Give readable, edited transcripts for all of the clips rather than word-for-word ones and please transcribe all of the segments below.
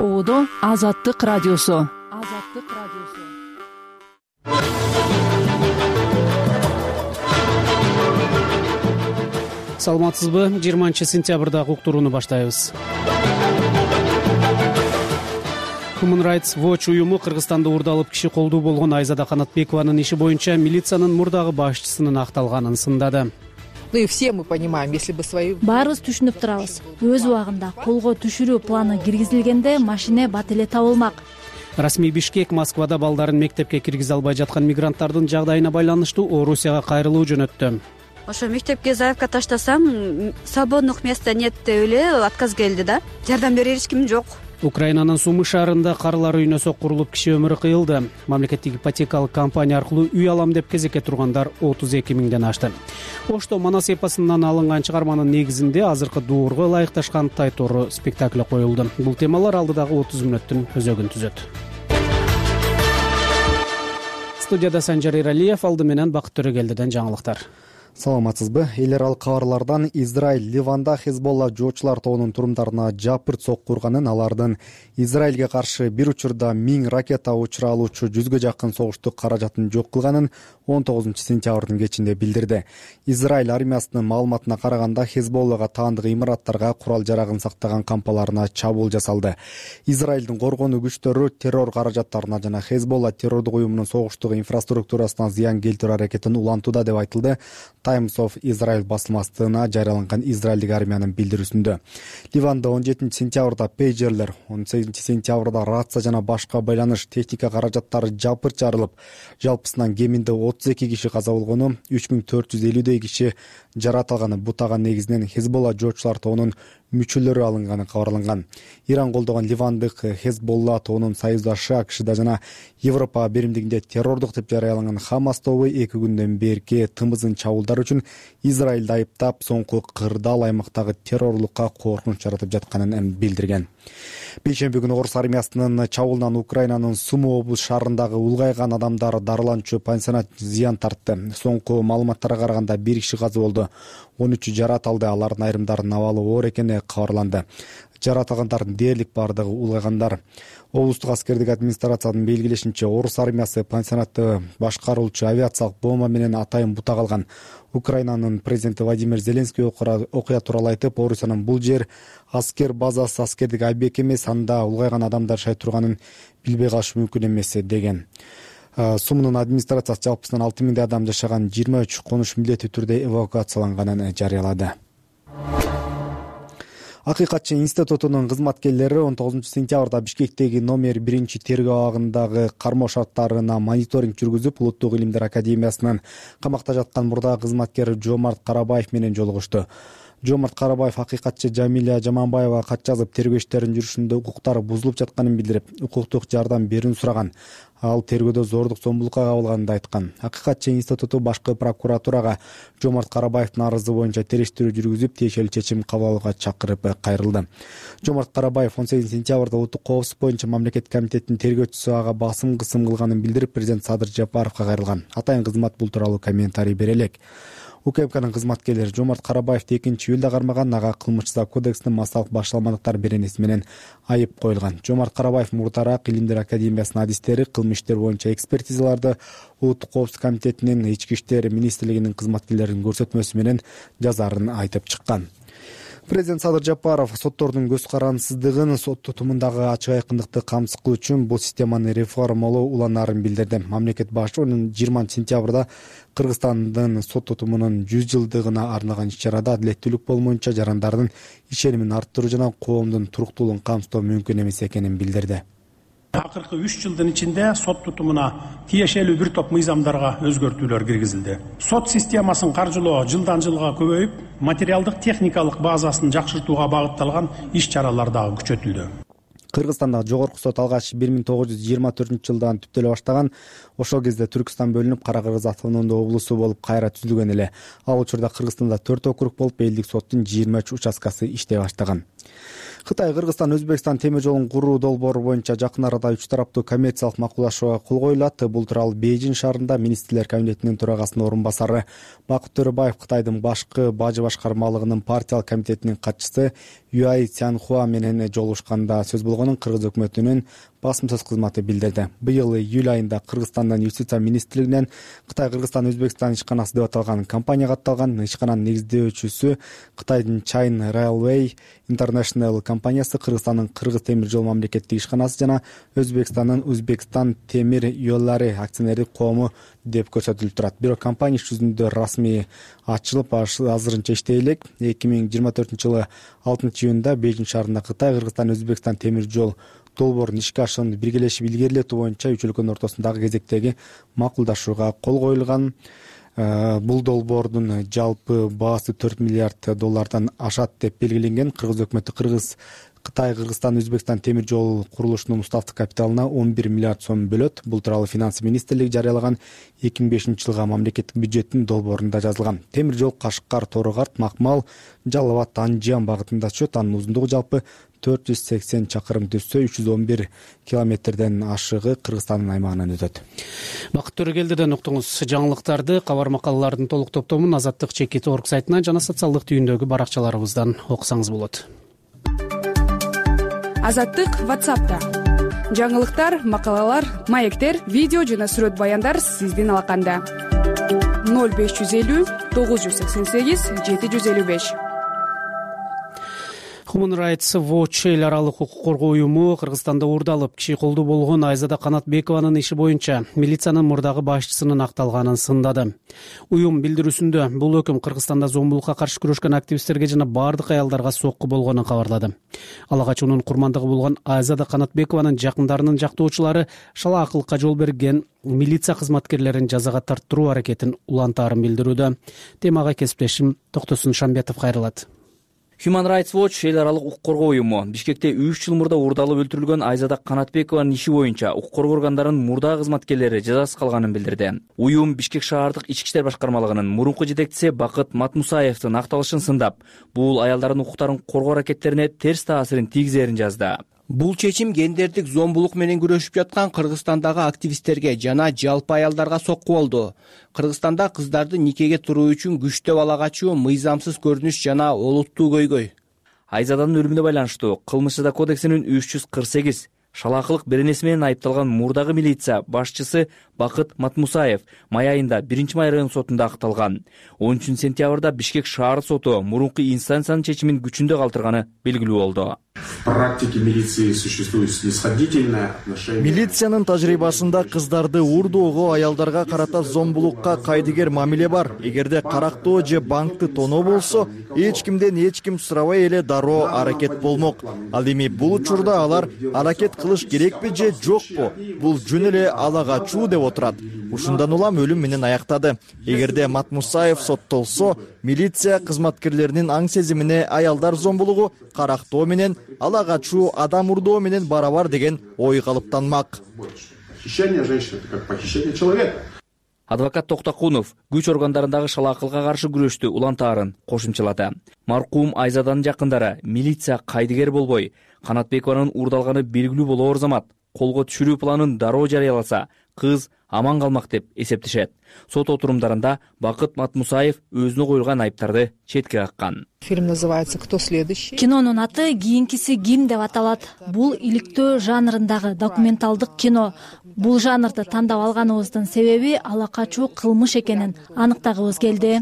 Оодо Азаттык радиосу. Саламатсызбы? 20-сентябрда уктурууну баштайбыз. Human Rights Watch уюму Кыргызстанда уурдалып киши колдуу болгон Айзада Канатбекованын иши боюнча милициянын мурдагы башчысынын акталганын сындады. Ну и все мы понимаем, если бы свои... Баарыбыз түшүнүп турабыз. Өз убагында колго түшүрүү планы киргизилгенде машина бат эле табылмак. Расмий Бишкек Москвада балдарын мектепке киргизе албай жаткан мигранттардын жагдайына байланыштуу Орусияга кайрылуу жөнөттү. Ошо мектепке заявка таштасам, свободных места нет деп эле отказ келди да. Жардам берер эч ким жок. Украинанын Сумы шаарында карылар үйүнө соккурулуп киши өмүрү кыйылды. Мамлекеттик ипотекалык компания аркылуу үй алам деп кезекке тургандар 32 миңден ашты. Ошто Манас эпосунан алынган чыгарманын негизинде азыркы дуурга ылайыкташкан Тайтору спектакли коюлду. Бул темалар алдыдагы 30 мүнөттүн өзөгүн түзөт. Студияда Санжар Иралиев, алды менен Бакыт Төрөгелдиден жаңылыктар. Саламатсызбы? Эл аралык кабарлардан Израиль Ливанда Хезболла жоочулар тобунун турумдарына жапырт сокку урганын, алардын Израилге каршы бир учурда 1000 ракета учуралуучу 100гө жакын согуштук каражатын жок кылганын 19-сентябрдын кечинде билдирди. Израиль армиясынын маалыматына караганда Хезболлага таандык имараттарга, курал-жарагын сактаган кампаларына чабуул жасалды. Израилдин коргонуу күчтөрү террор каражаттарына жана Хезболла террордук уюмунун согуштук инфраструктурасына зыян келтирүү аракетин улантууда деп айтылды Times of Israel басылмасына жарыяланган израилдик армиянын билдирүүсүндө. Ливанда 17-сентябрда пейджерлер, 18-сентябрда рация жана башка байланыш техника каражаттары жапырт жарылып, жалпысынан кеминде 32 киши каза болгону, 3450 киши жарат алганы бутаган негизинен Хезболла жоочулар тобунун мүчөлөрү алынганы кабарланган. Иран колдогон ливандык Хезболла тобунун союздашы АКШда жана Европа беримдигинде террордук деп жарыяланган Хамас тобу 2 күндөн берки тымызын чабуулдар үчүн Израилди айыптап, соңку кырдаал аймактагы террорлукка коркунуч жаратып жатканын билдирген. Бейшемби күнү Орус армиясынын чабуулунан Украинанын Сумы облус шаарындагы улгайган адамдар дарыланчу пансионат зыян тартты. Соңку маалыматтарга караганда 1 киши каза болду, 13 жарат алды, алардын айрымдарынын абалы оор экени кабарланды. Жарат алгандардын дээрлик бардыгы улгайгандар. Облустук аскердик администрациянын белгилешинче, Орус армиясы пансионатты башкаруучу авиациялык бомба менен атайын бутак алган. Украинанын президенти Владимир Зеленский окуя тууралуу айтып, Орусиянын бул жер аскер базасы, аскердик объект эмес, анда улгайган адамдар жашай турганын билбей калыш мүмкүн эмес деген. Сумунун администрациясы жалпысынан 6000 адам жашаган 23 конуш милдеттүү түрдө эвакуацияланганын жарыялады. Акыйкатчы институтунун кызматкерлери 19-сентябрда Бишкектеги номер 1 тергөө абагындагы кармоо шарттарына мониторинг жүргүзүп, Улуттук илимдер академиясынын камакта жаткан мурдагы кызматкери Жомарт Карабаев менен жолугушту. Жомарт Карабаев акыйкатчы Жамиля Жаманбаевага кат жазып, тергөө иштеринин жүрүшүндө укуктары бузулуп жатканын билдирип, укуктук жардам берүүнү сураган. Ал тергөөдө зордук зомбулукка кабылганын айткан. Акыйкатчы институту башкы прокуратурага Жомарт Карабаевдин арызы боюнча териштирүү жүргүзүп, тиешелүү чечим кабыл алууга чакырып кайрылды. Жомарт Карабаев 18-сентябрда Улуттук коопсуздук боюнча мамлекеттик комитеттин тергөөчүсү ага басым кысым кылганын билдирип, президент Садыр Жапаровго кайрылган. Атайын кызмат бул тууралуу комментарий бере элек. УКМКнын кызматкерлери Жомарт Карабаевди 2-июлда кармаган, ага кылмыш кодексинин массалык башталмадыктар беренеси менен айып коюлган. Жомарт Карабаев мурдараак Илимдер академиясынын адистери кылмыш иштер боюнча экспертизаларды Улуттук коопсуздук комитетинин, Ички иштер министрлигинин кызматкерлеринин көрсөтмөсү менен жазарын айтып чыккан. Президент Садыр Жапаров соттордун көз карансыздыгын, сот тутумундагы ачык айкындыкты камсыз кылуу үчүн бул системаны реформалоо уланаарын билдирди. Мамлекет башы 20-сентябрда Кыргызстандын сот тутумунун 100 жылдыгына арналган иш-чарада адилеттүүлүк болмоюнча жарандардын ишенимин арттыруу жана коомдун туруктуулугун камсыздоо мүмкүн эмес экенин билдирди. Акыркы 3 жылдын ичинде сот тутумуна тиешелүү бир топ мыйзамдарга өзгөртүүлөр киргизилди. Сот системасын каржылоо жылдан жылга көбөйүп, материалдык техникалык базасын жакшыртууга багытталган иш-чаралар дагы күчөтүлдү. Кыргызстанда жогорку сот алгач 1924-жылдан түптөлө баштаган. Ошол кезде Түркстан бөлүнүп, Кара-Кыргыз автономдуу облусу болуп кайра түзүлгөн эле. Ал учурда Кыргызстанда 4 округ болуп, элдик соттун 23 участкасы иштей баштаган. Кытай, Кыргызстан, Өзбекстан темир жолун куруу долбоору боюнча жакын арада 3 тараптуу коммерциялык макулдашууга кол коюлат. Бул тууралуу Бейжиң шаарында министрлер кабинетинин төрагасынын орун басары Бакыт Төрөбаев Кытайдын башкы бажы башкармалыгынын партиялык комитетинин катчысы Юай Цянхуа менен жолугушканда сөз болгонун кыргыз өкмөтүнүн басым сөз кызматы билдирди. Быйыл июль айында Кыргызстандын юстиция министрлигинен Кытай, Кыргызстан, Өзбекстан ишканасы деп аталган компания катталган. Ишкананын негиздөөчүсү Кытайдын China Railway International компаниясы, Кыргызстандын Кыргыз темир жол мамлекеттик ишканасы жана Өзбекстандын Узбекстан темир жолдору акционердик коому деп көрсөтүлүп турат. Бирок компания иш жүзүндө расмий ачылып, азырынча иштей элек. 2024-жылы 6-июнда Бейжиң шаарында Кытай, Кыргызстан, Өзбекстан темир жол долбоорунун ишке ашуун биргелешип илгерилетүү боюнча үч өлкөнүн ортосундагы кезектеги макулдашууга кол коюлган. Бул долбоордун жалпы баасы $4 миллиард ашат деп белгиленген. Кыргыз өкмөтү Кытай, Кыргызстан, Өзбекстан темир жол курулушунун уставдык капиталына 11 миллиард сом бөлөт. Бул тууралуу Финансы министрлиги жарыялаган 2005-жылга мамлекеттик бюджеттин долбоорунда жазылган. Темир жол Кашкар, Торугарт, Макмал, Жалал Абад, Анжан багытында түшөт. Анын узундугу жалпы 480 чакырым түзсө, 311 километрден ашыгы Кыргызстандын аймагынан өтөт. Бакыт Төрөгелдиден уктуңуз. Жаңылыктарды, кабар макалалардын толук топтомун Азаттык /.org сайтынан жана социалдык түйүндөгү баракчаларыбыздан окусаңыз болот. Азаттык WhatsApp'та. Жаңылыктар, макалалар, маектер, видео жана сүрөт баяндар сиздин алаканда. 0550 988 755. Human Rights Watch эл аралык укук коргоо уюму Кыргызстанда уурдалып, киши колдуу болгон Айзада Канатбекованын иши боюнча милициянын мурдагы башчысынын акталганын сындады. Уюм билдирүүсүндө бул өкүм Кыргызстанда зомбулукка каршы күрөшкөн активисттерге жана бардык аялдарга сокку болгонун кабарлады. Ала качуунун курмандыгы болгон Айзада Канатбекованын жакындарынын жактоочулары шалаакылыкка жол берген милиция кызматкерлерин жазага тарттыруу аракетин улантаарын билдирүүдө. Темага кесиптешим Токтосун Шамбетов кайрылат. Human Rights Watch эл аралык укук коргоо уюму Бишкекте 3 жыл мурда уурдалып өлтүрүлгөн Айзада Канатбекованын иши боюнча укук коргоо органдарынын мурда кызматкерлери жазасыз калганын билдирди. Уюм Бишкек шаардык ички иштер башкармалыгынын мурунку жетекчиси Бакыт Матмусаевдин акталышын сындап, бул аялдардын укуктарын коргоо аракеттерине терс таасирин тийгизерин жазды. Бул чечим гендердик зомбулук менен күрөшүп жаткан Кыргызстандагы активисттерге жана жалпы аялдарга сокку болду. Кыргызстанда кыздарды никеге туруу үчүн күчтөп ала качуу, мыйзамсыз көрүнүш жана олуттуу көйгөй. Айзаданын өлүмүнө байланыштуу Кылмыш жаза кодексинин 348 шалаакылык беренеси менен айыпталган мурдагы милиция башчысы Бакыт Матмусаев май айында 1-май район сотунда акталган. 13-сентябрда Бишкек шаар соту мурунку инстанциянын чечимин күчүндө калтырганы белгилүү болду. В практике милиции существует снисходительное отношение. Милициянын тажрыйбасында кыздарды уурдоого, аялдарга карата зомбулукка кайдыгер мамиле бар. Эгерде карактоо же банкты тоноо болсо, эч кимден эч ким сурабай эле дароо аракет болмок. Ал эми бул учурда алар аракет кылыш керекпи же жокпу? Бул жөн эле ала качуу деп отурат. Ушундан улам өлүм менен аяктады. Эгерде Матмусаев соттолсо, милиция кызматкерлеринин аң сезимине аялдар зомбулугу карактоо менен ала качуу адам урдоо менен барабар деген ой калыптанмак. Похищение женщины — это как похищение человека. Адвокат Токтокунов күч органдарындагы шалаакылыкка каршы күрөштү улантаарын кошумчалады. Маркум Айзаданын жакындары милиция кайдыгер болбой, Канатбекованын уурдалганы белгилүү болоор замат колго түшүрүү планын дароо жарыяласа, кыз аман калмак деп эсептешет. Сот отурумдарында Бакыт Матмусаев өзүнө коюлган айыптарды четке каккан. Фильм называется «Кто следующий?». Кинонун аты «Кийинкиси ким» деп аталат. Бул иликтөө жанрындагы документалдык кино. Бул жанрды тандап алганыбыздын себеби ала качуу кылмыш экенин аныктагыбыз келди.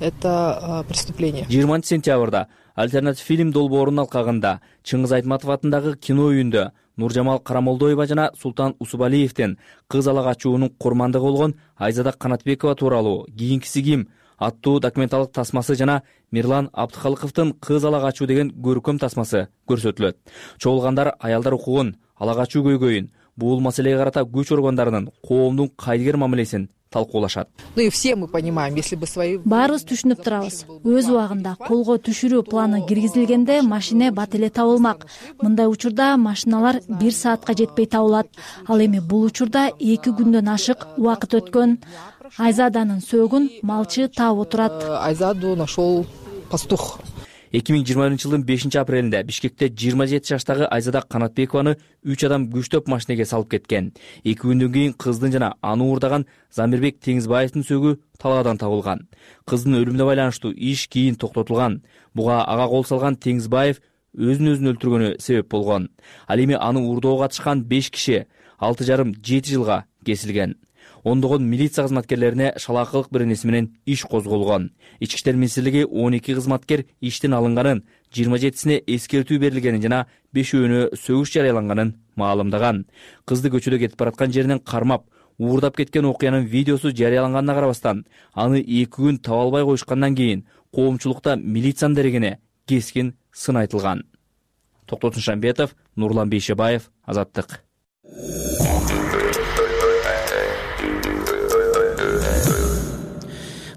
Это преступление. 20-сентябрда альтернатив фильм долбоорунун алкагында Чыңгыз Айтматов атындагы кино үйүндө Нуржамал Карамолдоева жана Султан Усубалиевдин кыз ала качуунун курмандыгы болгон Айзада Канатбекова тууралуу «Кийинкиси ким» аттуу документалдык тасмасы жана Мирлан Абдыкалыковдун кыз ала качуу деген көркөм тасмасы көрсөтүлөт. Чогулгандар аялдар укугун, ала качуу көйгөйүн, бул маселеге карата күч органдарынын коомдун кайдыгер мамилесин талкуулашат. Ну и все мы понимаем, если бы свои... Баарыбыз түшүнүп турабыз. Өз убагында колго түшүрүү планы киргизилгенде машина бат эле табылмак. Мындай учурда машиналар 1 саатка жетпей табылат. Ал эми бул учурда 2 күндөн ашык убакыт өткөн. Айзаданын сөөгүн малчы таап отурат. Айзаду нашел пастух. 2020 жылдын 5-апрелинде Бишкекте 27 жаштагы Айзада Канатбекованы 3 адам күчтөп машинеге салып кеткен. 2 күндөн кийин кыздын жана аны уурдаган Замирбек Теңизбаевдин сөөгү талаадан табылган. Кыздын өлүмүнө байланыштуу иш кийин токтотулган. Буга ага кол салган Теңизбаев өзүн өлтүргөнү себеп болгон. Ал эми аны уурдоого катышкан 5 киши 6,5-7 жылга кесилген. Ондогон милиция кызматкерлерине шалаакылык беренеси менен иш козголгон. Ички иштер министрлиги 12 кызматкер иштен алынганын, 27сине эскертүү берилгенин жана 5-өөнө сөгүш жарыяланганын маалымдаган. Кызды көчөдө кетип бараткан жеринен кармап, уурдап кеткен окуянын видеосу жарыяланганына карабастан, аны 2 күн таба албай коюшкандан кийин коомчулукта милициянын дерегине кескин сын айтылган. Токтотун Шамбетов, Нурлан Бейшебаев, Азаттык.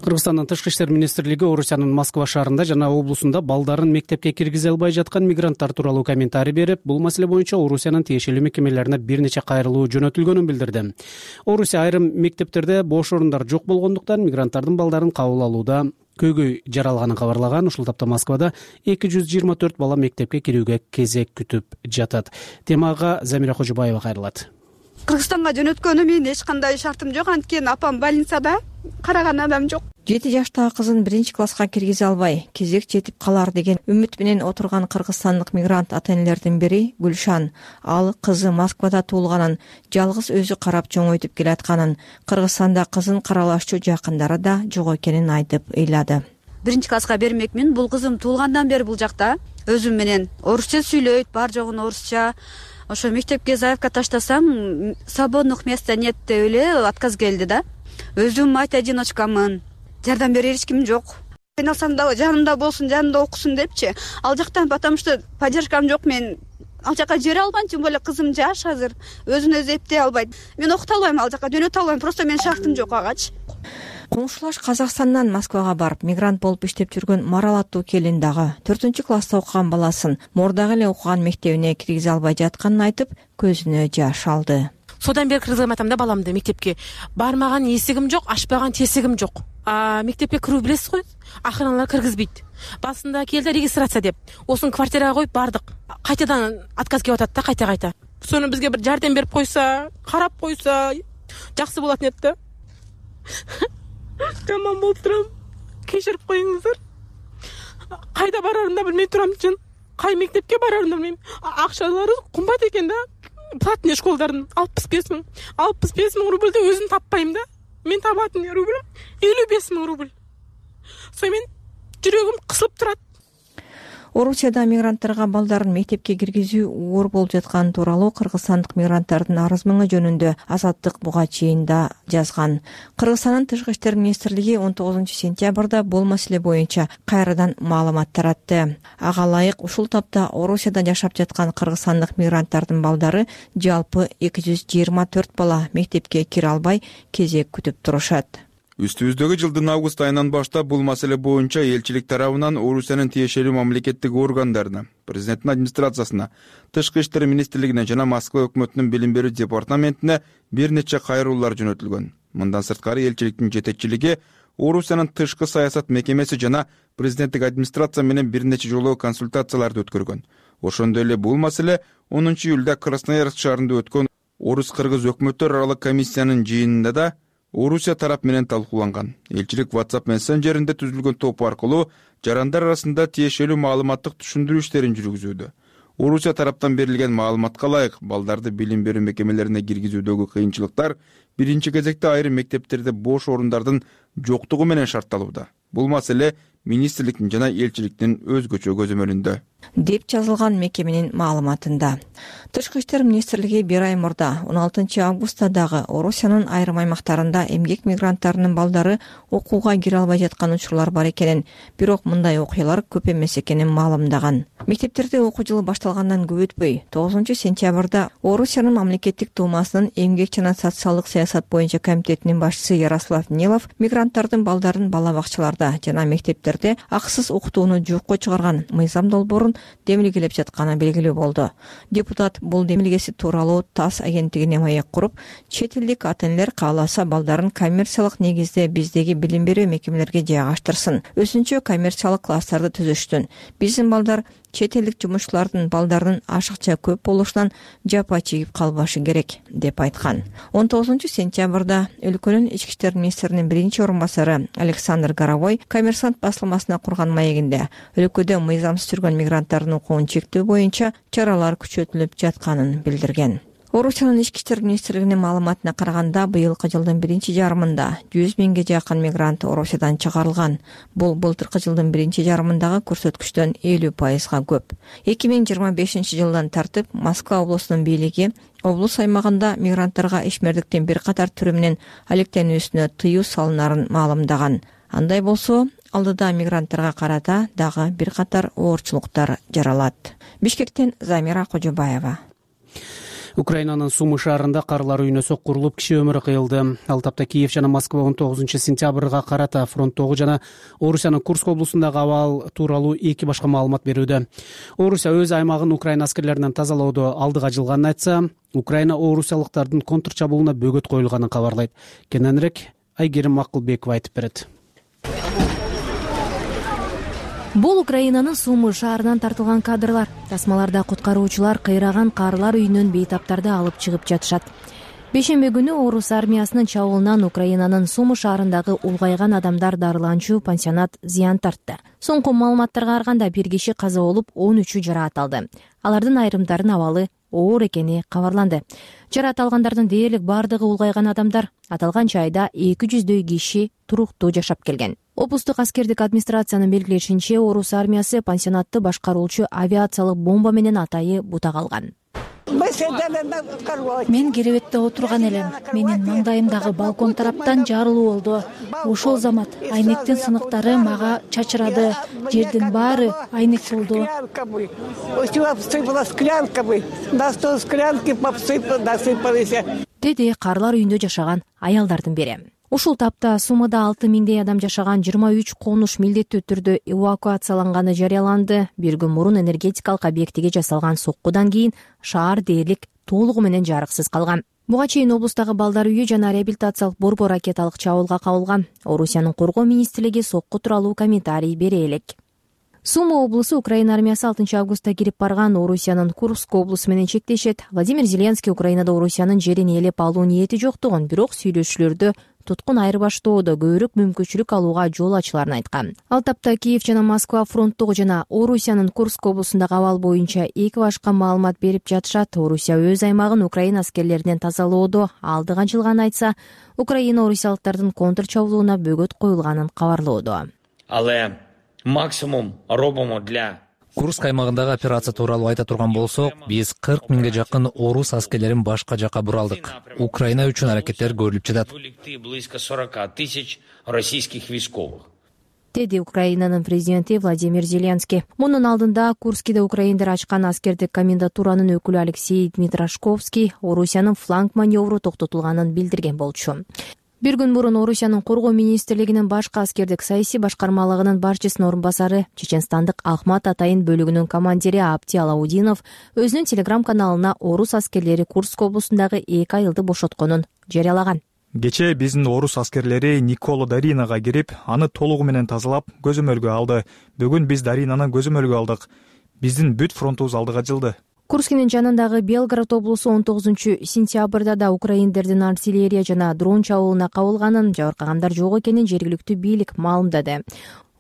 Кыргызстандын Тышкы иштер министрлиги Орусиянын Москва шаарында жана облусунда балдарын мектепке киргизе албай жаткан мигранттар тууралуу комментарий берип, бул маселе боюнча Орусиянын тиешелүү мекемелерине бир нече кайрылуу жөнөтүлгөнүн билдирди. Орусия айрым мектептерде бош орундар жок болгондуктан мигранттардын балдарын кабыл алууда көйгөй жаралганын кабарлаган. Ушул тапта Москвада 224 бала мектепке кирүүгө кезек күтүп жатат. Темага Замира Кожобаева кайрылат. Кыргызстанга жөнөткөнүм менин эч кандай шартым жок, анткени апам больницада, караган адам жок. 7 жаштагы кызын 1-класска киргизе албай, кезек жетип калар деген үмүт менен отурган кыргызстандык мигрант ата-энелердин бири Гүлшан. Ал кызы Москвада туулганын, жалгыз өзү карап чоңойтуп келатканын, Кыргызстанда кызын каралашчу жакындары да жок экенин айтып ыйлады. 1-класска бермекмин. Бул кызым туулгандан бери бул жакта өзүм менен орусча сүйлөйт, бар жогун орусча. Ошо мектепке заявка таштасам, свободных места нет деп эле отказ келди да. Өзүм мать-одиночкамын. Жардам берер эч ким жок. Айналсам да жанымда болсун, жанымда окусун депчи. Ал жактан потому что поддержкам жок, мен ал жака жибере албайм, тем более кызым жаш азыр, өзүн өзү эптей албайт. Мен окута албайм, ал жака жөнөтө албайм, просто менин шартым жок агачы. Коңшулаш Казакстандан Москвага барып, мигрант болуп иштеп жүргөн Марал аттуу келин дагы 4-класста окуган баласын мурдагы эле окуган мектебине киргизе албай жатканын айтып, көзүнө жаш алды. Содан бери кыргызган атам да баламды мектепке бармаган эсигим жок, ашпаган тесигим жок. Мектепке кирүү билесиз го, акыралар киргизбейт. Басында келди регистрация деп. Осын квартирага коюп бардык. Кайтадан отказ келип атат да, кайта. Сону бизге бир жардам берип койса, карап койса, жакшы болот экен да. Жаман болуп турам. Кечирип коюңуздар. Кайда барарын да билмей турам чын. Кай мектепке барарын да билбейм. Акчалары кымбат экен да. Платный школдардын 65 000. 65 000 рубльды өзүм таппайм да. Мен табатын рубль 55 000 рубль. Мен жүрөгүм кысылып турат. Орусияда мигранттарга балдарын мектепке киргизүү оор болуп жатканы тууралуу кыргызстандык мигранттардын арыз мыңы жөнүндө Азаттык буга чейин да жазган. Кыргызстандын Тышкы иштер министрлиги 19-сентябрда бул маселе боюнча кайрадан маалымат таратты. Ага ылайык ушул тапта Орусияда жашап жаткан кыргызстандык мигранттардын балдары жалпы 224 бала мектепке кире албай кезек күтүп турушат. Үстүбүздөгү жылдын август айынан баштап бул маселе боюнча элчилик тарабынан Орусиянын тиешелүү мамлекеттик органдарына, президенттин администрациясына, Тышкы иштер министрлигине жана Москва өкмөтүнүн билим берүү департаментине бир нече кайрылуулар жөнөтүлгөн. Мындан сырткары элчиликтин жетекчилиги Орусиянын тышкы саясат мекемеси жана президенттик администрация менен бир нече жолу консультацияларды өткөргөн. Ошондой эле бул маселе 10 июлда Красноярск шаарында өткөн Орус-кыргыз өкмөттөр аралык комиссиянын жыйынында да Орусия тарап менен талкууланган. Элчилик WhatsApp мессенджеринде түзүлгөн топ аркылуу жарандар арасында тиешелүү маалыматтык түшүндүрүү иштерин жүргүзүүдө. Орусия тараптан берилген маалыматка ылайык балдарды билим берүү мекемелерине киргизүүдөгү кыйынчылыктар биринчи кезекте айрым мектептерде бош орундардын жоктугу менен шартталууда. Бул маселе министрликтин жана элчиликтин өзгөчө көзөмөлүндө деп жазылган мекеменин маалыматында. Тышкы иштер министрлиги бир ай мурда 16 августта дагы Орусиянын айрым аймактарында эмгек мигранттарынын балдары окууга кире албай жаткан учурлар бар экенин, бирок мындай окуялар көп эмес экенин маалымдаган. Мектептерде окуу жылы башталгандан көп өтпөй 9-сентябрда Орусиянын мамлекеттик думасынын эмгек жана социалдык саясат боюнча комитетинин башчысы Ярослав Нилов мигранттардын балдарын бала бакчаларда жана мектептерде мектептерде акысыз окутууну жокко чыгарган мыйзам долбоорун демилгелеп жатканы белгилүү болду. Депутат бул демилгеси тууралуу ТАСС агенттигине маек куруп, чет элдик ата-энелер кааласа балдарын коммерциялык негизде биздеги билим берүү мекемелерге жайгаштырсын, өзүнчө коммерциялык класстарды түзүштүн. Биздин балдар чет элдик жумушчулардын балдарынын ашыкча көп болушунан жапа чегип калбашы керек деп айткан. 19 сентябрда өлкөнүн ички иштер министринин биринчи орун басары Александр Горовой Коммерсант басылмасына курган маегинде өлкөдө мыйзамсыз жүргөн мигранттардын укугун чектөө боюнча чаралар күчөтүлүп жатканын билдирген. Орусиянын ички иштер министрлигинин маалыматына караганда, быйылкы жылдын биринчи жарымында 100 миңге жакын мигрант Орусиядан чыгарылган. Бул былтыркы жылдын биринчи жарымындагы көрсөткүчтөн 50%га көп. 2025 жылдан тартып Москва облусунун бийлиги облус аймагында мигранттарга ишмердиктин бир катар түрү менен алектенүүсүнө тыюу салынарын маалымдаган. Андай болсо, алдыда мигранттарга карата дагы бир катар оорчулуктар жаралат. Бишкектен Замира Кожобаева. Украинанын Сумы шаарында карлар үйүнө соккурулуп киши өмүрү кыйылды. Ал тапта Киев жана Москва 19 сентябрга карата фронттогу жана Орусиянын Курск облусундагы абал тууралуу эки башка маалымат берүүдө. Орусия өз аймагын Украина аскерлеринен тазалоодо алдыга жылганын айтса, Украина орусиялыктардын контрчабуулуна бөгөт коюлганын кабарлайт. Кененирээк Айгерим Макулбекова айтып берет. Бул Украинанын Сумы шаарынан тартылган кадрлар. Тасмаларда куткаруучулар кыйраган карлар үйүнөн бейтаптарды алып чыгып жатышат. Бешембе күнү орус армиясынын чабуулунан Украинанын Сумы шаарындагы улгайган адамдар дарыланчу пансионат зыян тартты. Соңку маалыматтарга караганда бир киши каза болуп, 13-ü жараат алды. Алардын айрымдарынын абалы оор экени кабарланды. Жараат алгандардын дээрлик бардыгы улгайган адамдар. Аталган жайда 200дөй киши туруктуу жашап келген. Облустук аскердик администрациянын белгилешинче, орус армиясы пансионатты башкаруучу авиациялык бомба менен атайы бутак алган. Мен керебетте отурган элем. Менин маңдайымдагы балкон тараптан жарылуу болду. Ошол замат айнектин сыныктары мага чачырады. Жердин баары айнек болду. Деди карлар үйүндө жашаган аялдардын бири. Ушул тапта Сумада 6 миңдей адам жашаган 23 конуш милдеттүү түрдө эвакуацияланганы жарыяланды. Бир күн мурун энергетикалык объектиге жасалган соккудан кийин шаар дээрлик толугу менен жарыксыз калган. Буга чейин облустагы балдар үйү жана реабилитациялык борбор ракеталык чабуулга кабылган. Орусиянын коргоо министрлиги сокку тууралуу комментарий бере элек. Сума облусу Украина армиясы 6 августта кирип барган Орусиянын Курск облусу менен чектешет. Владимир Зеленский Украинада Орусиянын жерин ээлеп алуу ниети жоктугун, бирок сүйлөшүүлөрдө туткун айырбаштоодо көбүрөөк мүмкүнчүлүк алууга жол ачыларын айткан. Ал тапта Киев жана Москва фронттогу жана Орусиянын Курск облусундагы абал боюнча эки башка маалымат берип жатышат. Орусия өз аймагын Украина аскерлеринен тазалоодо алдыга жылганын айтса, Украина орусиялыктардын контрчабуулуна бөгөт коюлганын кабарлоодо. Але максимум робимо для Курск аймагындагы операция тууралуу айта турган болсок, биз 40 миңге жакын орус аскерлерин башка жакка буралдык. Украина үчүн аракеттер көрүлүп жатат. Близко 40 000 российских войсковых. Деди Украинанын президенти Владимир Зеленский. Мунун алдында Курскиде украиндер ачкан аскердик комендатуранын өкүлү Алексей Дмитрашковский Орусиянын фланг маневру токтотулганын билдирген болчу. Бир күн мурун Орусиянын коргоо министрлигинин башкы аскердик саясий башкармалыгынын башчысынын орун басары, чеченстандык Ахмат Атайын бөлүгүнүн командири Апти Алаудинов өзүнүн телеграм-каналына орус аскерлери Курск облусундагы 2 айылды бошотконун жарыялаган. Кечээ биздин орус аскерлери Николо Даринага кирип, аны толугу менен тазалап, көзөмөлгө алды. Бүгүн биз Даринаны көзөмөлгө алдык. Биздин бүт фронтубуз алдыга жылды. Курскинин жанындагы Белгород облусу 19 сентябрда да украиндердин артиллерия жана дрон чабуулуна кабылганын, жабыркагандар жок экенин жергиликтүү бийлик маалымдады.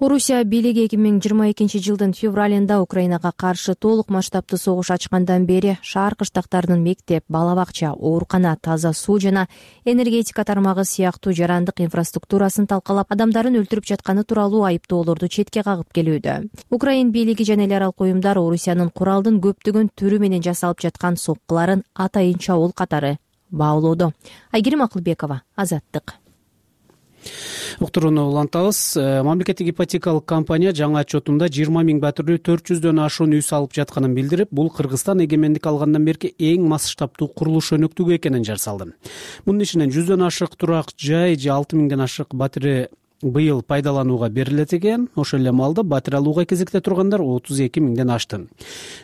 Орусия бийлиги 2022 жылдын февралында Украинага каршы толук масштабтуу согуш ачкандан бери шаар кыштактарынын мектеп, бала бакча, оорукана, таза суу жана энергетика тармагы сыяктуу жарандык инфраструктурасын талкалап, адамдарын өлтүрүп жатканы тууралуу айыптоолорду четке кагып келүүдө. Украин бийлиги жана эл аралык уюмдар Орусиянын куралдын көптөгөн түрү менен жасалып жаткан соккуларын атайын чабуул катары баалоодо. Айгерим Акылбекова, Азаттык. Уктурууну улантабыз. Мамлекеттик ипотекалык компания жаңы отчетунда 20 миң пәтүрлүү 400дөн ашуун үй салып жатканын билдирип, бул Кыргызстан эгемендик алгандан берки эң масштабтуу курулуш өнөктүгү экенин жарсалды. Мунун ичинен 100дөн ашык турак жай же 6 миңден ашык батире быйыл пайдаланууга берилет экен. Ошол эле маалда батир алууга кезекте тургандар 32 миңден ашты.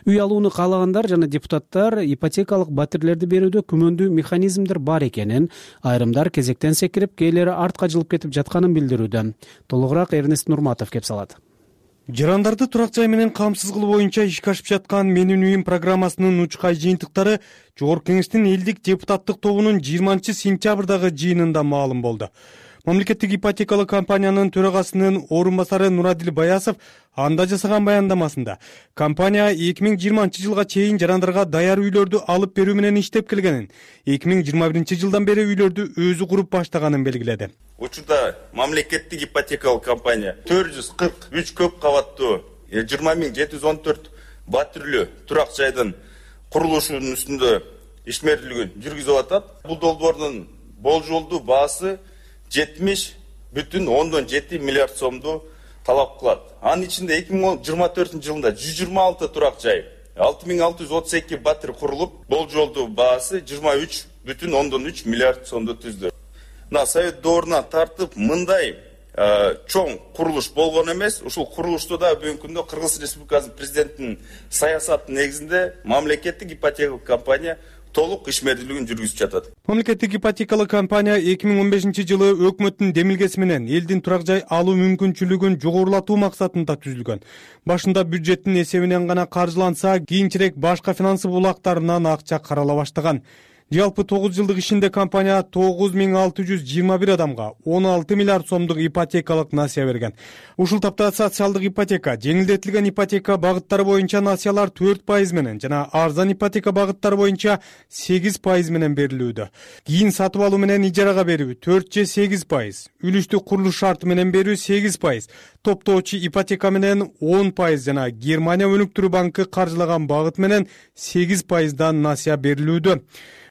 Үй алууну каалагандар жана депутаттар ипотекалык батирлерди берүүдө күмөндүү механизмдер бар экенин, айрымдар кезектен секирип, кээлери артка жылып кетип жатканын билдирүүдө. Толугураак Эрнест Нурматов кеп салат. Жарандарды турак жай менен камсыз кылуу боюнча ишке ашып жаткан Менин үйүм программасынын учкай жыйынтыктары Жогорку Кеңештин элдик депутаттык тобунун 20-сентябрдагы жыйынында маалым болду. Мамлекеттик ипотекалык компаниянын төрагасынын орун басары Нурадил Баясов анда жасаган баяндамасында компания 2020-жылга чейин жарандарга даяр үйлөрдү алып берүү менен иштеп келгенин, 2021-жылдан бери үйлөрдү өзү куруп баштаганын белгиледи. Учурда мамлекеттик ипотекалык компания 443 көп кабаттуу 20.714 батирлүү турак жайдын курулушунун үстүндө ишмердүүлүгүн жүргүзүп атат. Бул долбоордун болжолдуу баасы 70,7 миллиард сомду талап кылат. Анын ичинде 2024 жылында 126 турак жай, 6632 батир курулуп, болжолдуу баасы 23,3 миллиард сомду түздү. Совет доорунан тартып мындай чоң курулуш болгон эмес. Ушул курулушта да бүгүнкү күндө Кыргыз Республикасынын президентинин саясатынын негизинде мамлекеттик ипотекалык компания толук ишмердүүлүгүн жүргүзүп жатат. Мамлекеттик ипотекалык компания 2015-жылы өкмөттүн демилгеси менен элдин турак жай алуу мүмкүнчүлүгүн жогорулатуу максатында түзүлгөн. Башында бюджеттин эсебинен гана каржыланса, кийинчерээк башка финансы булактарынан акча карала баштаган. Жалпы 9 жылдык ишинде компания 9621 адамга 16 миллиард сомдук ипотекалык насыя берген. Ушул тапта социалдык ипотека, жеңилдетилген ипотека багыттары боюнча насыялар 4% менен жана арзан ипотека багыттары боюнча 8% менен берилүүдө. Кийин сатып алуу менен ижарага берүү 4-8%, үлүштүк курулуш шарты менен берүү 8%, топтоочу ипотека менен 10% жана Германия өнүктүрүү банкы каржылаган багыт менен 8%дан насыя берилүүдө.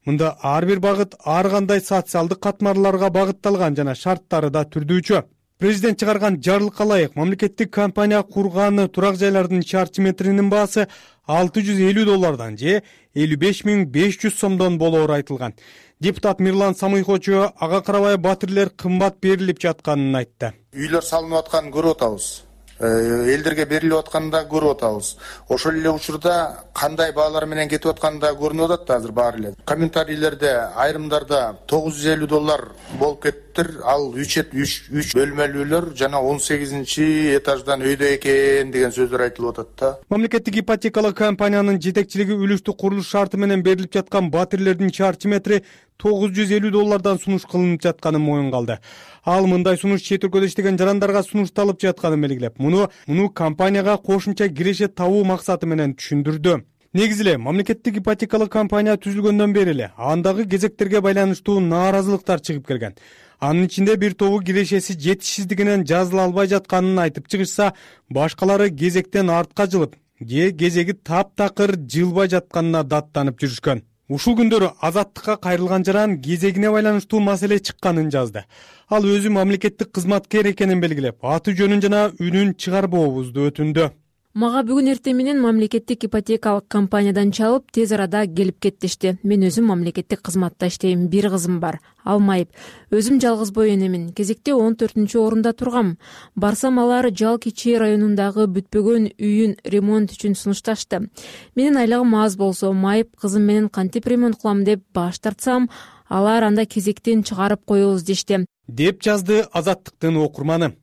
Мында ар бир багыт ар кандай социалдык катмарларга багытталган жана шарттары да түрдүүчү. Президент чыгарган жарлыкка ылайык мамлекеттик компания курган турак жайлардын чарчы метринин баасы $650 же 55.500 сомдон болоору айтылган. Депутат Мирлан Самыйхочу ага карабай батирлер кымбат берилип жатканын айтты. Үйлөр салынып атканын көрүп атабыз. Элдерге берилип атканын да көрүп атабыз. Ошол эле учурда кандай баалар менен кетип атканы да көрүнүп атат азыр баары эле. Комментарийлерде айрымдарда $950 болуп кеттир, ал 3 бөлмөлүүлөр жана 18-этаждан өйдө экен деген сөздөр айтылып атат да. Мамлекеттик ипотекалык компаниянын жетекчилиги үлүштүк курулуш шарты менен берилип жаткан батирлердин чарчы метри $950 сунуш кылынып жатканын моюнга алды. Ал мындай сунуш чет өлкөдө иштеген жарандарга сунушталып жатканын белгилеп, муну компанияга кошумча киреше табуу максаты менен түшүндүрдү. Негизи эле мамлекеттик ипотекалык компания түзүлгөндөн бери эле андагы кезектерге байланыштуу нааразылыктар чыгып келген. Анын ичинде бир тобу кирешеси жетишсиздигинен жазыла албай жатканын айтып чыгышса, башкалары кезектен артка жылып, кезеги таптакыр жылбай жатканына даттанып жүрүшкөн. Ушул күндөрү Азаттыкка кайрылган жаран кезегине байланыштуу маселе чыкканын жазды. Ал өзү мамлекеттик кызматкер экенин белгилеп, аты жөнүн жана үнүн чыгарбообузду өтүндү. Мага бүгүн эртең менен мамлекеттик ипотекалык компаниядан чалып, тез арада келип кеттишти. Мен өзүм мамлекеттик кызматта иштейм, бир кызым бар. Ал майып. Өзүм жалгыз бой энемин. Кезекте 14-орунда тургам. Барсам алар Жал Кичи районундагы бүтпөгөн үйүн ремонт үчүн сунушташты. Менин айлыгым аз болсо, майып кызым менен кантип ремонт кылам деп баш тартсам, алар анда кезектен чыгарып коебуз дешти, деп жазды Азаттыктын окурманы.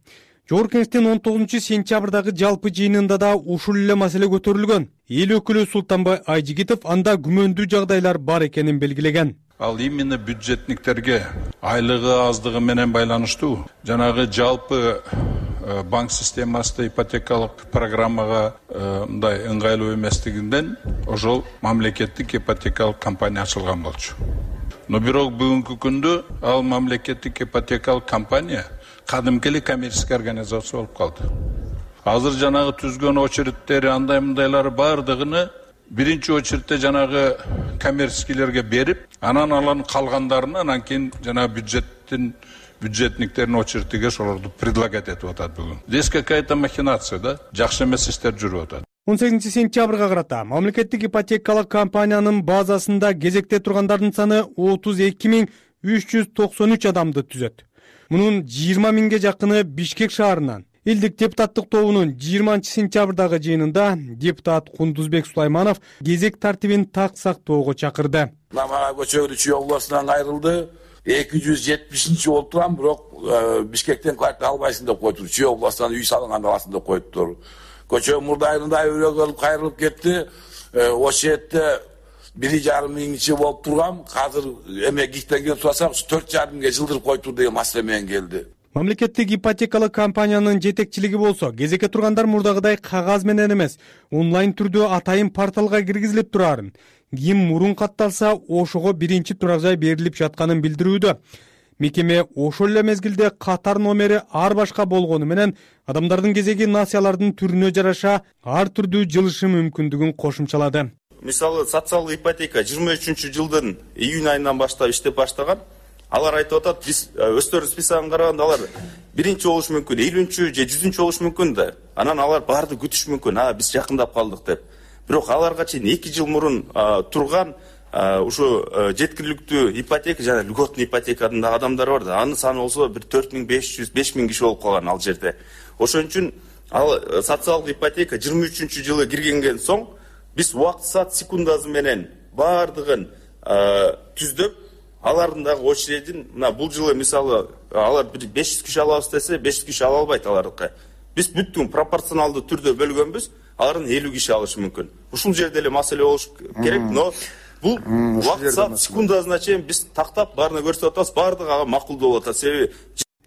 Жогорку Кеңештин 19-сентябрдагы жалпы жыйынында да ушул эле маселе көтөрүлгөн. Эл өкүлү Султанбай Айжигитов анда күмөндүү жагдайлар бар экенин белгилеген. Ал именно бюджетниктерге айлыгы аздыгы менен байланыштуу жанагы жалпы банк системасында ипотекалык программага мындай ыңгайлуу эместигинден ошол мамлекеттик ипотекалык компания ачылган болчу. Но бирок бүгүнкү күндө ал мамлекеттик ипотекалык компания кадимки эле коммерческий организация болуп калды. Азыр жанагы түзгөн очередтери андай мындайлары бардыгыны биринчи очередте жанагы коммерческийлерге берип, анан алардын калгандарын анан кийин жанагы бюджетниктердин очередиге ошолорду предлагать этип атат бүгүн. Здесь какая-то махинация, да? Жакшы эмес иштер жүрүп атат. 18-сентябрга карата мамлекеттик ипотекалык компаниянын базасында кезекте тургандардын саны 32.393 адамды түзөт. Мунун 20 миңге жакыны Бишкек шаарынан. Элдик депутаттык тобунун 20 сентябрдагы жыйынында депутат Кундузбек Сулайманов кезек тартибин так сактоого чакырды. Мага көчөгү Чүй областынан кайрылды. 270 болуп турган, бирок Бишкектен квартира албайсың деп коюптур. Чүй областынан үй салынган аласың деп коюптур. Көчө мурдайында өрөөгө кайрылып кетти. Ошол жерде 1,5 миңчи болуп турган, азыр эме гектарга сурасак 4,5 миңге жылдырып коюптур деген маселе менен келди. Мамлекеттик ипотекалык компаниянын жетекчилиги болсо, кезекке тургандар мурдагыдай кагаз менен эмес, онлайн түрдө атайын порталга киргизилип турарын, ким мурун катталса, ошого биринчи турак жай берилип жатканын билдирүүдө. Мекеме ошол эле мезгилде катар номери ар башка болгону менен адамдардын кезеги насыялардын түрүнө жараша ар түрдүү жылышы мүмкүндүгүн кошумчалады. Мисалы, социалдык ипотека 23-жылдын июнь айынан баштап иштеп баштаган. Алар айтып атат, биз өздөрүнүн списогун караганда алар биринчи болуш мүмкүн, 50-чү же 100-чү болуш мүмкүн да. Анан алар баарды күтүш мүмкүн, биз жакындап калдык деп. Бирок аларга чейин 2 жыл мурун турган ушу жеткиликтүү ипотека жана льготный ипотекадын да адамдар бар да. Анын саны болсо бир 4500-5000 киши болуп калган ал жерде. Ошон үчүн ал социалдык ипотека 23-жылы киргенден соң биз убакыт саат секундасы менен баардыгын түздөп, алардын дагы очередин, мына бул жылы мисалы алар 500 киши алабыз десе, 500 киши ала албайт алардыкы. Биз бүттүн пропорционалдуу түрдө бөлгөнбүз, алардын 50 киши алышы мүмкүн. Ушул жерде эле маселе болуш керек, но бул убакыт саат секундасына чейин биз тактап баарына көрсөтүп атабыз, баардыгы ага макулдуу болуп атат. Себеби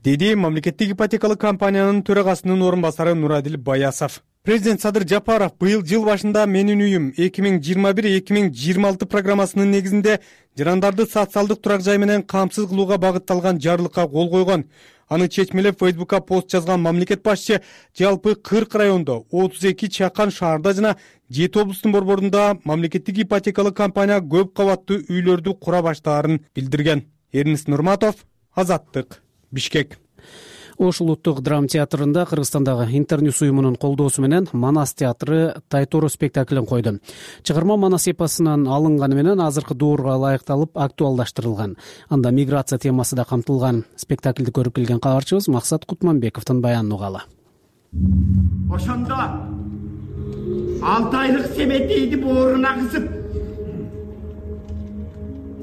деди мамлекеттик ипотекалык компаниянын төрагасынын орун басары Нурадил Баясов. Президент Садыр Жапаров быйыл жыл башында Менин үйүм 2021-2026 программасынын негизинде жарандарды социалдык турак жай менен камсыз кылууга багытталган жарлыкка кол койгон. Аны чечмелеп Facebook'ка пост жазган мамлекет башчы жалпы 40 райондо, 32 чакан шаарда жана 7 облустун борборунда мамлекеттик ипотекалык компания көп кабаттуу үйлөрдү кура баштаарын билдирген. Эрнис Нурматов, Азаттык, Бишкек. Ош улуттук драма театрында Кыргызстандагы Интерньюс уюмунун колдоосу менен Манас театры Тайтору спектаклин койду. Чыгарма Манас эпосунан алынганы менен азыркы доорго ылайыкталып актуалдаштырылган. Анда миграция темасы да камтылган. Спектаклди көрүп келген кабарчыбыз Максат Кутманбековдун баянын угалы. Ошондо 6 айлык Семетейди бооруна кысып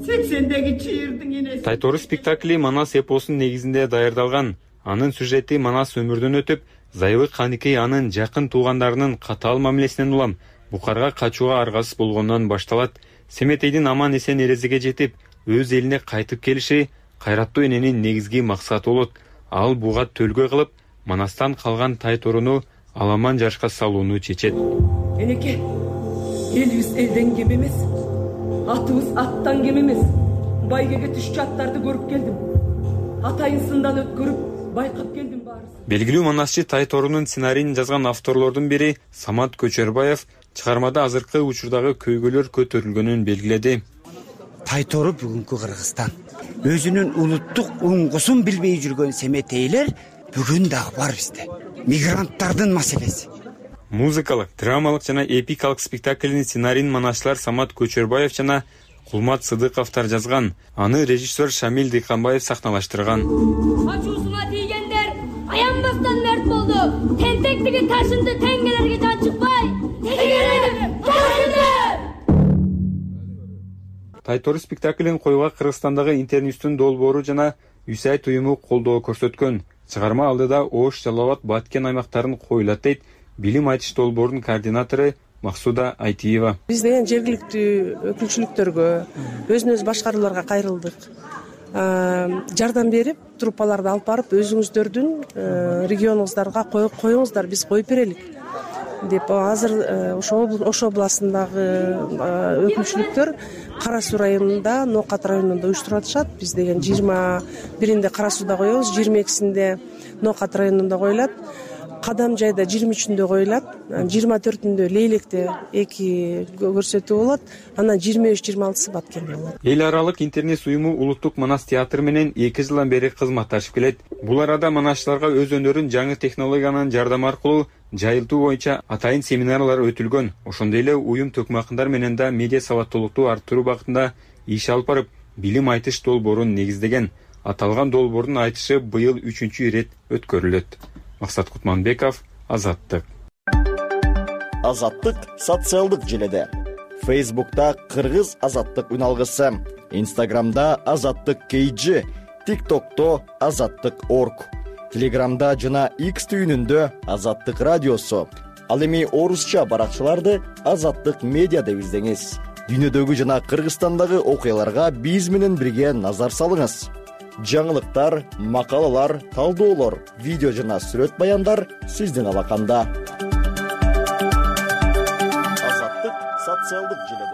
80деги чыйырдын энеси. Тайтору спектакли Манас эпосунун негизинде даярдалган. Анын сюжети Манас өмүрдөн өтүп, Зайыбы Каникей анын жакын туугандарынын катаал мамилесинен улам Бухарга качууга аргасыз болгондон башталат. Семетейдин аман эсен эрезеге жетип, өз элине кайтып келиши кайраттуу эненин негизги максаты болот. Ал буга төлгө кылып, Манастан калган Тайторуну аламан жашка салууну чечет. Энеке, элибиз элден кем эмес, атыбыз аттан кем эмес. Байгеге түшчү аттарды көрүп келдим. Атайын сындан өткөрүп байкап келдим баарыбыз. Белгилүү манасчы Тайторунун сценарийин жазган авторлордун бири Самат Көчөрбаев чыгармада азыркы учурдагы көйгөйлөр көтөрүлгөнүн белгиледи. Тайтору бүгүнкү Кыргызстан. Өзүнүн улуттук уңгусун билбей жүргөн семетейлер бүгүн дагы бар бизде. Мигранттардын маселеси. Музыкалык, драмалык жана эпикалык спектаклдин сценарийин манасчылар Самат Көчөрбаев жана Кулмат Сыдыковтар жазган. Аны режиссер Шамил Дыйканбаев сахналаштырган. Ачуусуна тийгендер аянбастан мерт болду. Тентектиги ташынды, теңгелерге жан чыкпай. Тайтору спектаклин коюуга Кыргызстандагы Интерньюстун долбоору жана USAID уюму колдоо көрсөткөн. Чыгарма алдыда Ош, Жалал Абад, Баткен аймактарын коюлат дейт билим айтыш долбоорунун координатору Максуда Айтиева. Биз деген жергиликтүү өкүлчүлүктөргө, өзүнөз башкарууларга кайрылдык. Жардам берип, труппаларды алып барып, өзүңүздөрдүн регионуңуздарга коюңуздар, биз коюп берелик деп. Азыр Ош областындагы өкүлчүлүктөр Кара Суу районунда, Ноокат районунда уюштуруп атышат. Биз деген 21-inde Кара Сууда коебуз, 22-синде Ноокат районунда коюлат. Кадам жайда 23-ндө коюлат, 24-ндө Лейлекте 2 көрсөтүү болот, анан 23-26-сы Баткенде болот. Эл аралык Интерньюс уюму улуттук Манас театры менен 2 жылдан бери кызматташып келет. Бул арада манасчыларга өз өнөрүн жаңы технологиянын жардамы аркылуу жайылтуу боюнча атайын семинарлар өтүлгөн. Ошондой эле уюм төкмакындар менен да медиа сабаттуулукту арттыруу багытында иш алып барып, билим айтыш долбоорун негиздеген. Аталган долбоордун айтышы быйыл 3-чү ирет өткөрүлөт. Максат Кутманбеков, Азаттык. Азаттык социалдык желеде. Facebook'ta Кыргыз Азаттык үналгысы, Instagram'da Азаттык KG, TikTok'to Азаттык.org, Telegram'da жана X түйүнүндө Азаттык радиосу. Ал эми орусча баракчаларды Азаттык медиа деп издеңиз. Дүйнөдөгү жана Кыргызстандагы окуяларга биз менен бирге назар салыңыз. Жаңылыктар, макалалар, талдоолор, видео жана сүрөт баяндар сиздин алаканда. Азаттык социалдык желеде.